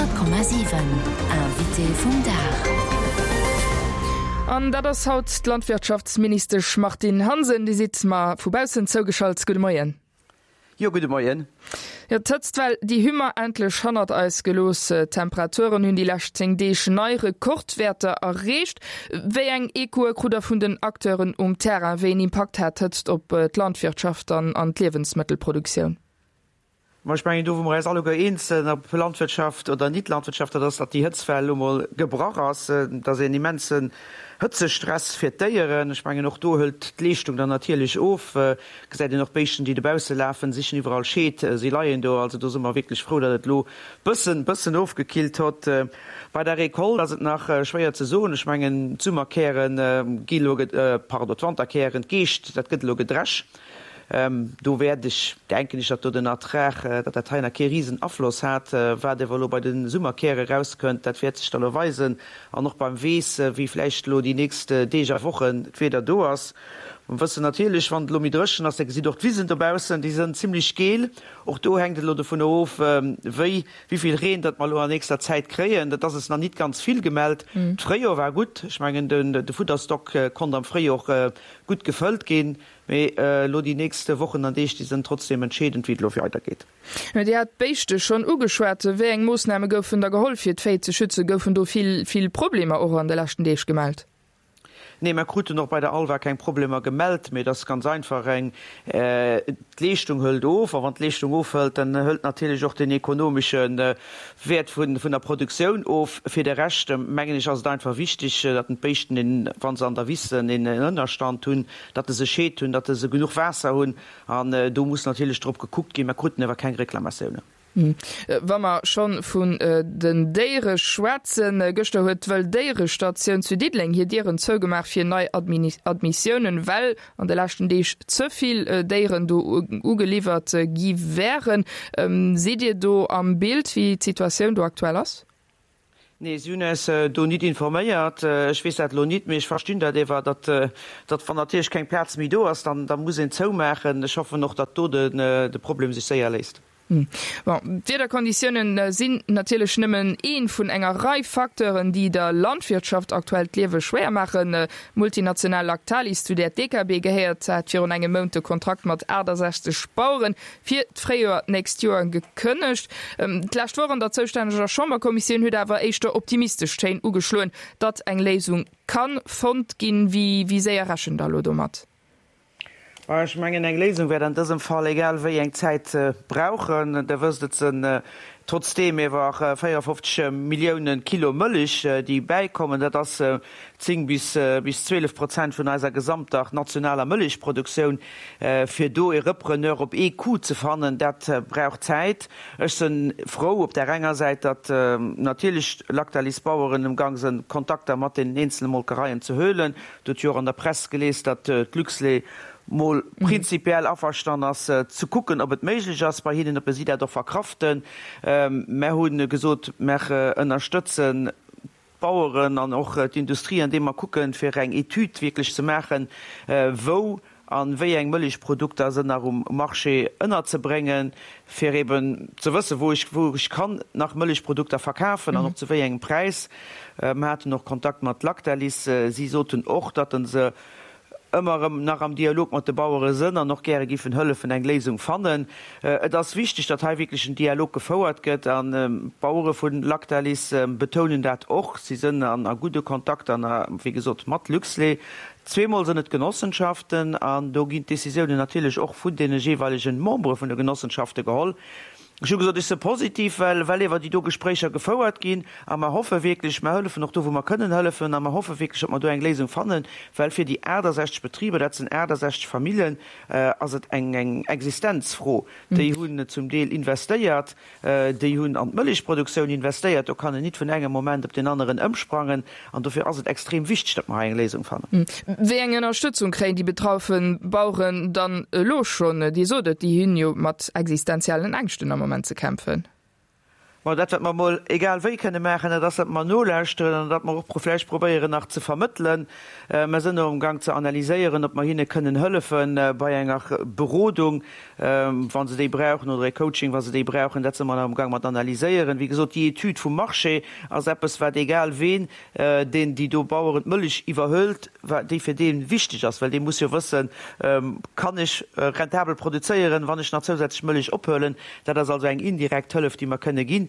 100,7 Invité vum Dag. An dat ass haut d'Landwirtschaftsministesch Martine Hansen. Dir sidd mer vu baussen zougeschalt. Gudde Moien. Jo, gudde Moien. Jo, d'Hëtztwell, déi hu mer endlech hannert eis gelooss. D'Temperaturen hunn déi lescht 10 Deeg nei Rekordwäerter erreecht. Wéi eng Echoe krut der vun den Acteuren um Terrain? Wéi een Impakt hat d'Hëtzt op d'Landwirtschaft an an d'Liewensmëttelproduktioun? Ma ech mengen, do wou mer eis alleguer eens sinn, ob Landwirtschaft oder Nit-Landwirtschaft, dat ass, datt déi Hëtztwell elo mol gebrach ass. Et ass een immensen Hëtzestress fir d'Déieren. Ech mengen, och do hëlt d'Leeschtung dann natierlech of. Gesäit een och d'Béischten, déi dobausse lafen, sichen iwwerall Scheed, si leien do. Also do si mer wierklech frou, datt et elo bëssen, bëssen ofgekillt hott. Bei der Recolte ass et nach schwéier ze soen. Ech mengen, d'Summerkäre gi elo, pardon, d'Wanterkären, d'Geescht, dat gëtt elo gedresch. Do wäert ech, denken ech, datt do den Ertrag, datt dat hei nach kee risen Afloss hat. Wat ewer elo bei de Summerkäre erauskënnt, dat wäert sech da elo weisen. An och beim Weess, wéi vläicht elo déi nächst Deeg a Wochen d'Wieder do ass. Mer wëssen natierlech, wann et elo méi dréchen ass, da gesitt och d'Wisen dobaussen, déi sënn zimlech geel. Och do hänkt et elo dovun of, wéi, wéi vill Reen datt mer elo an nächster Zäit kréien. Dat ass es nach nit ganz vill gemellt. D'Fréijoer war gutt. Ech mengen, de Fudderstock konnt am Fréijoer gutt gefëllt ginn. Mee elo déi nächst Wochen an Deeg, déi sënn trotzdem entscheedend, wéi et elo weidergeet. Dir hat d'Béischte schonn ugeschwat. Wéi eng Moossname goufen da geholl, fir d'Véi ze schützen? Goufen do vill, vill Problemer och an de leschten Deeg gemellt? Nee, mer kruten och bei der ALVA keng Problemer gemellt. Mee et ass ganz einfach eng, d'Leeschtung hëlt of. A wann d'Leeschtung ofhëlt, dann hëlt natierlech och den ekonomesche Wäert vun der Produktioun of. Fir de Rescht, mengen ech, ass et einfach wichteg, datt den d'Béischten een, wa se an der Wiss sënn, een Ënnerstand hunn, datt se Scheed hunn, datt se genuch Waasser hunn. An do muss natierlech drop gekuckt ginn. Mer kruten awer keng Reklamatiounen. Wa mer schonn vun den Déiere schwätzen, Gëschter huet d'Wëlldéierestatioun zu Diddeleng hir Dieren zougemaach fir nei Admissiounen, well an de leschten Deeg ze vill Déieren do ugeliwwert gi wären. Sidd Dir do am Bild, wéi d'Situatioun do aktuell ass? Nee, si hunn eis do nit informéiert. Ech weess dat elo nit, mee ech verstinn dat ewer, datt, datt wann natierlech keng Plaz méi do ass, dann, da muss een zoumaachen. Ech hoffen och, datt do de Problem sech séier léist. Bon, d'Wiederkonditiounen sinn natierlech nëmmen ee vun enger Rei Facteuren, déi der Landwirtschaft aktuell d'Liewe schwéier maachen. D'Multinational Lactalis, zu där d'DKB gehéiert, hat virun engem Mount de Kontrakt mat 68 Bauere fir d'Fréijoer d'nächst Joer gekënnegt. D'lescht Woch an der zoustänneger Chamberkommissioun huet awer éischter optimistesch Téin ugeschloen, datt eng Léisung ka fonnt ginn. Wéi séier rechent Der elo domat? Ech mengen, eng Léisung wäert an dësem Fall egal wéi eng Zäit brauchen. Der wësst, et sënn trotzdeem ewer 54 Milliounen Kilo Mëlich, déi bäikommen. Dat ass 10 bis 12 Prozent vun eiser gesamter nationaler Mëlichproduktioun. Fir do e Repreneur op ee Coup ze fannen, dat brauch Zäit. Ech sënn frou op där enger Säit, datt natierlech Lactalis-Baueren emgang sënn, Kontakter mat deenen eenzele Molkereien ze huelen. Et huet jo och an der Press gelies, datt d'Luxlait mol prinzipiell averstann ass, ze kucken, ob et méiglech ass bei hinnen, ob si dat och verkraften. Mär hu gesot, mär ënnerstëtzen d'Baueren an och d'Industrie, andeem mer kucken, fir eng Etüd wierklech ze maachen, wou a wéi eng Mëllechprodukter sënn nach um Marché ënnerzebréngen, fir eben ze wëssen, wou ech, wou ech kann nach Mëllechprodukter verkafen an och zu wéi engem Präis. Mer haten och Kontakt mat Lactalis. Si soten och, datt se ëmmer erëm nach am Dialog mat de Bauere sënn an och gäre giffen hëllefen eng Léisung fannen. Et ass wichteg, datt hei wierklech en Dialog gefouert gëtt an d'Bauere vu Lactalis betounen dat och. Si sënn a gudde Kontakter, wéi gesot, mat Luxlait. Zweemol sënn et Genossenschaften an do ginn d'Décisiounen natierlech och vun deene jeeweilegen Membere vun de Genossenschafte geholl. Ech hu gesot, ech si positiv, well well ewer déi do Gespréicher gefouert ginn a mer hoffe wierklech, mer hëllefen och do wou mer kënnen hëllefen a mer hoffe wierklech, datt mer do eng Léisung fannen, well fir déi 68 Betriber, dat sinn 68 Famillen, ass et eng eng Existenzfro. Déi hunn zum Deel investéiert. Déi hunn an d'Mëllechproduktioun investéiert. Do kann een nit vun engem Moment op deen aneren ëmsprangen. An dofir ass et extrem wichteg, datt mer hei eng Léisung fannen. Wéi eng Ënnerstëtzung kréien déi betraffe Baueren dann elo schonn? Dir sot et, déi hunn jo mat existenziellen Ängschten am Moment ze kämpfen. Bon, dat wat mer emol egal wéi kënne maachen, dat ass, datt mer nolauschteren an datt mer och vläicht probéieren nach ze vermëttelen. Mer sënn elo amgang ze analyséieren, ob mer hinne kënnen hëllefe bei enger Berodung, wa se déi brauchen, oder e Coaching, wa se déi brauchen. Dat si mer nach amgang mat analyséieren. Wéi gesot, déi Etüd vum Marché ass eppes, wat egal ween, deen déi do Baueren d'Mëllech iwwerhëlt, déi fir dee wichteg ass, well dee muss jo wëssen, Kann ech rentabel produzéieren, wann ech nach zousätzlech Mëllech ophuelen? Dat ass also eng indirekt Hëllef, déi mer kënne ginn.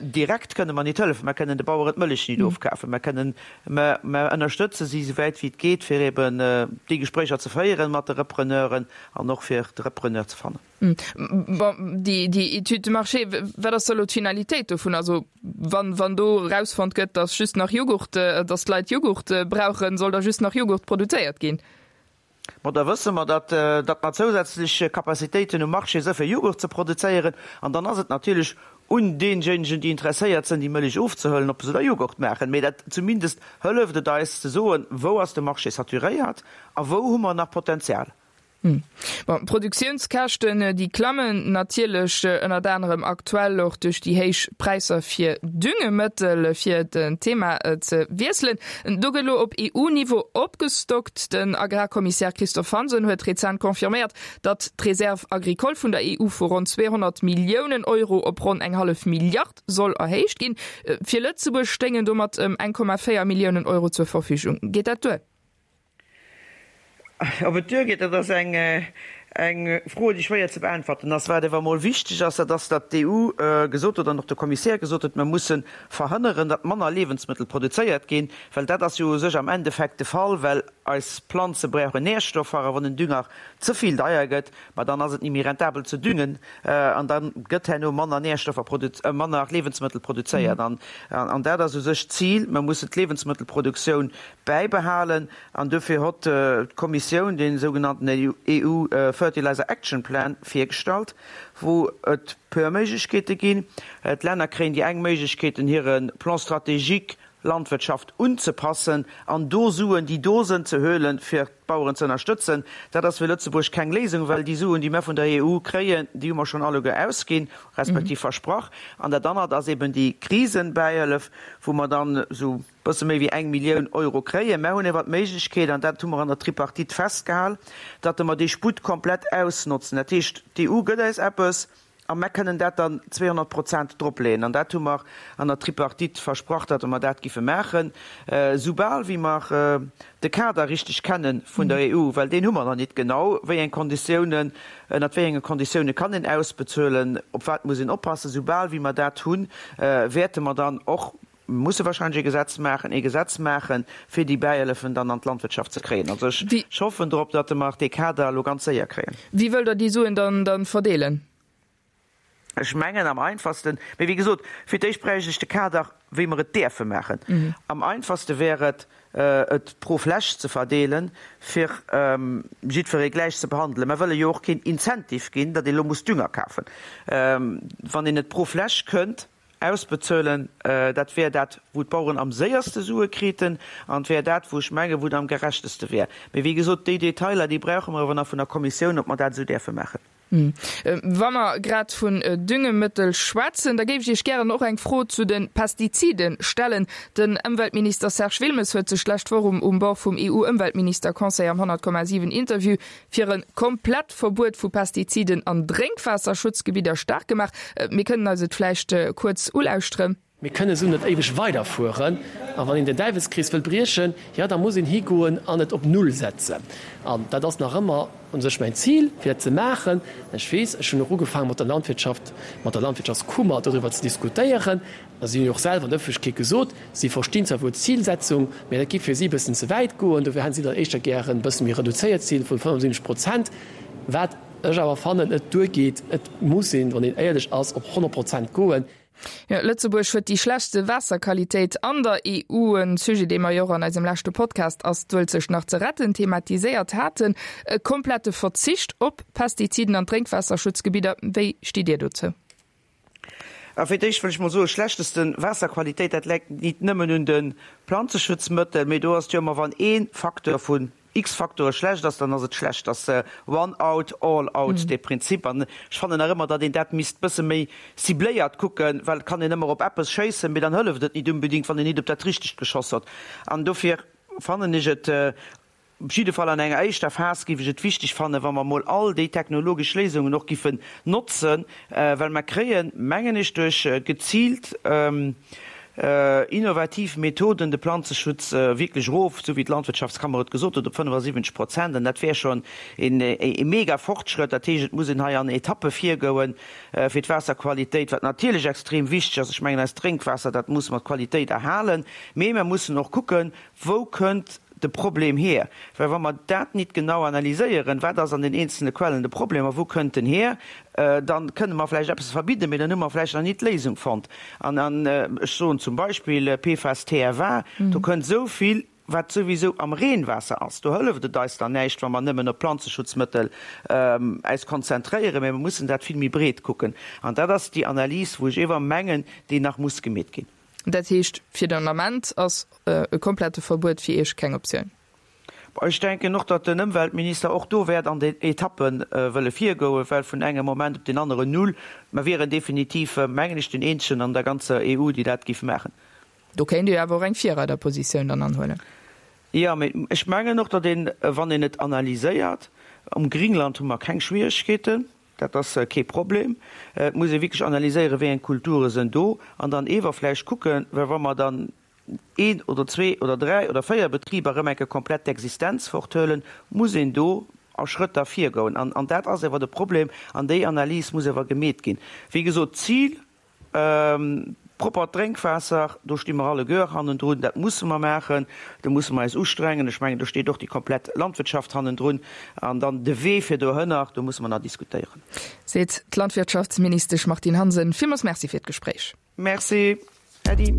Direkt kënne mer nit hëllefen, mer kënnen de Baueren d'Mëllech nit ofkafen, mer kënnen, mä mer ënnerstëtze si souwäit wéi et geet, fir eben déi Gespréicher ze féieren mat de Repreneuren an och fir de Repreneur ze fannen. Bon, déi, déi Étude de marché, wat ass da elo d'Finalitéit dovun? Also wann, wann do erausfonnt gëtt, datt just nach Jughurt, datt d'Leit Jughurt brauchen, soll da just nach Jughurt produzéiert ginn? Bon, da wësse mer, datt, datt mer zousätzlech Capacitéiten um Marché si fir Jughurt ze produzéieren. An dann ass et natierlech un deejéinegen, déi interesséiert sinn, déi Mëllech ofzehuelen, ob se da Jughurt maachen. Mee dat zumindest hëlleft et eis ze soen, wou ass de Marché saturéiert a wou hu mer nach Potenzial. Bon, d'Produktiounskäschten, déi klammen natierlech ënnert anerem aktuell och duerch déi héich Präisser fir Düngemëttel. Fir den Thema ze wiesselen, do gëtt elo op EU-Niveau opgestockt. Den Agrarkommissär Christophe Hansen huet rezent confirméiert, datt d'Reserve agricole vun der EU vu ronn 200 Milliounen Euro op ronn eng hallef Milliard soll erhéicht ginn. Fir Lëtzebuerg stéingen domat ëm 1,4 Milliounen Euro zur Verfügung. Geet dat duer? Ob et duergeet, dat ass eng Fro, déi schwéier ze beäntwerten ass. Wat awer emol wichteg ass, dat ass, datt d'EU gesot huet an och de Kommissär gesot huet, mer musse verhënneren, datt manner Liewensmëttel produzéiert ginn, well dat ass jo u sech am Endeffekt de Fall, well eis Planze brauchen Nährstoffer a wann den Dünger ze vill deier gëtt, ma dann ass et ni méi rentabel ze düngen an da gëtt herno manner Nährstoffer, manner Liewensmëttel produzéiert. An dat ass u sech d'Zil, mer mussen d'Liewensmëttelproduktioun bäibehalen an dofir hott d'Kommissioun dee sougenannten EU Fertilizer Action Plan virgestallt, wou et puer Méiglechkeete ginn. D'Länner kréien déi eng Méiglechkeeten, hire Plan stratégique Landwirtschaft unzepassen an do Suen, déi do sënn, ze huelen, fir d'Baueren ze ënnerstëtzen. Dat ass fir Lëtzebuerg keng Léisung, well déi Suen, déi mer vun der EU kréien, déi hu mer schonn alleguer ausginn, respektiv versprach. An dat anert ass eben déi Krisenbäihëllef, wou mer dann esou bësse méi wéi eng Millioun Euro kréien. Mer hunn awer d'Méiglechkeet, an dat hu mer an der Tripartite festgehal, datt mer dee Sputt komplett ausnotzen. Dat heescht, d'EU gëtt eis eppes a mer kënnen dat dann 200 Prozent dropleeën. An dat hu mer an der Tripartite versprach, datt mer dat giffe maachen, soubal wéi mer de Kader richteg kenne vun der EU, well deen hu mer nach nit genau, wéi eng Konditiounen, ënnert wéi enge Konditioune kann een ausbezuelen, op wat muss een oppassen. Soubal wéi mer dat hunn, wäerte mer dann och Mir musse wahrscheinlech e Gesetz maachen, ee Gesetz maachen, fir déi Bäihëllefen dann an d'Landwirtschaft ze kréien. Also ech hoffen drop, datt mer dee Kader elo ganz séier kréien. Wéi wëllt Der déi Suen dann verdeelen? Ech mengen am einfachsten, mee wéi gesot, fir d'éischt bräicht ech de Kader, wéi mer et däerfe maachen. Am einfachste wär et, et pro Fläch ze verdeelen, fir jiddweree gläich ze behandelen. Mer wëlle jo och keen Incentive ginn, datt ee lo muss Dünger kafen. Wann een et pro Fläch kënnt Ausbezuelen, dat wär dat, wou d'Baueren am séierste Sue kriten, an et wär dat, wou ech mengen, wou et am gerechteste wär. Mee wéi gesot, déi Detailer, déi brauche mer awer nach vun der Kommissioun, ob mer dat esou däerfe maachen. Wa mer grad vun Düngemëttel schwätzen, da géif ech Iech gären och eng Fro zu de Pestizide stellen. Den Ëmweltminister Serge Wilmes huet sech d'lescht Woch um Bord vum EU-Ëmweltminister-Conseil am 100,7 Interview fir e komplett Verbuet vu Pestiziden an Drénkwaasserschutzgebidder staark gemaach. Mir kënnen eis et vläicht kuerz ulauschteren. Mir kënnen esou net éiweg weiderfueren. A wann een den Däiwelskrees wëll briechen, jo, da muss een higoen an et op Null setzen. An dat ass nach ëmmer u sech mäin Zil, fir dat ze maachen. Ech weess, ech hunn och ugefaangen, mat der Landwirtschaft, mat der Landwirtschaftskummer doriwwer ze diskutéieren. A si hunn jo och selwer an der Ëffentlechkeet gesot, si verstinn zwar wuel d'Zilsetzung, mä dat géif fir si e bëssen ze wäit goen. Dofir hätten si dann éischter gären e bësse méi reduzéiert Zil vun 75 Prozent, wat ech awer fannen net duergeet. Et muss een, wann een éierlech ass, op 100 Prozent goen. Jo, Lëtzebuerg huet déi schlechtste Waasserqualitéit an der EU, en Sujet, dee mer jo och an eisem leschte Podcast Ass d'Uelzecht nach ze retten? thematiséiert haten. E komplette Verzicht op Pestiziden an Drénkwaasserschutzgebidder, wéi stitt Dir dozou? A fir d'éischt wëll ech mol soen, schlechteste Waasserqualitéit, dat läit nit nëmmen un de Planzeschutzmëttel, mee do ass et jo ëmmer, wann ee Facteur vu. X-Faktore schlecht ass, dann ass et schlecht. Ass one out, all out dee Prinzip. An ech fannen nach ëmmer, datt een dat misst bësse méi cibléiert kucken, well et kann een ëmmer op eppes schéissen, mee dann hëlleft et nit unbedingt, wann een nit op dat Richtegt geschoss huet. An dofir fannen ech et, op jidde Fall an enger éischter Phas géif ech et wichteg fannen, wa mer emol all déi technologesch Léisungen och giffen notzen, well mer kréien, mengen ech, duerch geziilt innovativ Methoden de Planzeschutz wierklech erof, esou wéi d'Landwirtschaftskammer et gesot huet, op 75 Prozent. An dat wär schonn e mega Fortschrëtt. Dat heescht, et muss een hei an Etappe virgouen fir d'Waasserqualitéit, wat natierlech extrem wichteg ass. Ech mengen, eist Drénkwaasser, dat musse mer d'Qualitéit erhalen, mee mer mussen och kucken, Wou kënnt de Problem hier? Well wa mer dat nit genau analyséieren, wat ass an den eenzelne Quellen de Problem a wou kënnt en hier, da kënne mer vläicht eppes verbidden, mee dann hu mer vläicht nach nit d'Léisung fonnt. An ech soen zum Beispill PFAS, TFA, do kënnt esou vill, wat souwisou am Reenwaasser ass. Do hëlleft et eis dann näischt, wa mer nëmmen op Planzeschutzmëttel äis konzentréieren, mee mer mussen dat vill méi breet kucken. An dat ass déi Analys, wou ech ewer mengen, déi nach muss gemeet ginn. Dat heescht, fir den Ament ass e komplette Verbuet fir Iech keng Optioun? Ech denken och, datt den Ëmweltminister och do wäert an den Etappe wëlle virgoen, well vun engem Moment op deen aneren null, mer wieren definitiv, mengen ech, den eenzegen an der ganzer EU, déi dat géif maachen. Do kéint Dir jo awer och eng Virreiderpositioun dann anhuelen. Jo, mee ech mengen och, datt een, wann een et analyséiert, um Gringland hu mer keng Schwieregkeeten, Dat ass kee Problem. Et muss ee wierklech analyséieren, wéi eng Kulture sënn do, an dann ewer vläicht kucken, well wa mer dann een oder zwee oder dräi oder véier Betriber erëm eng Kéier komplett d'Existenz forthuelen, muss een do a Schrëtt da virgoen. An dat ass ewer de Problem, an déi Analys muss ewer gemeet ginn. Wéi gesot, d'Zil, Proppert Drénkwaasser, do sti mer alleguer hannendrun, dat musse mer maachen, do musse mer eis ustrengen. Ech mengen, do steet och déi komplett Landwirtschaft hannendrun. An dann de Wee fir dohënner, do musse mer nach diskutéieren. Seet d'Landwirtschaftsministesch Martine Hansen. Villmools Merci fir d'Gespréich. Merci, Äddi.